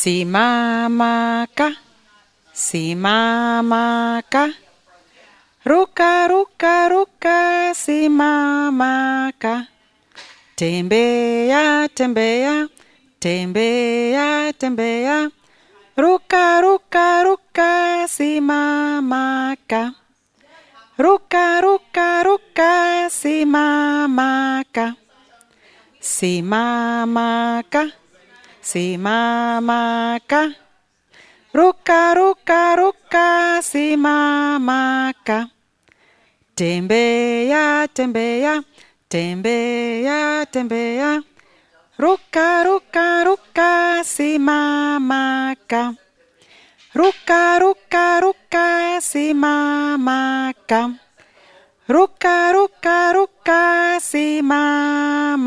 Simamaka, simamaka, ruka, ruka, ruka, simamaka. Tembea, tembea, tembea, tembea, ruka, ruka, ruka, simamaka. Ruka, ruka, ruka, simamaka. Simamaka, simamaka. Ruka, ruka, ruka, simamaka. Tembea, tembea, tembea, tembea. Ruka, ruka, ruka, simamaka. Ruka, ruka, ruka, simamaka. Ruka, ruka, ruka, simamaka.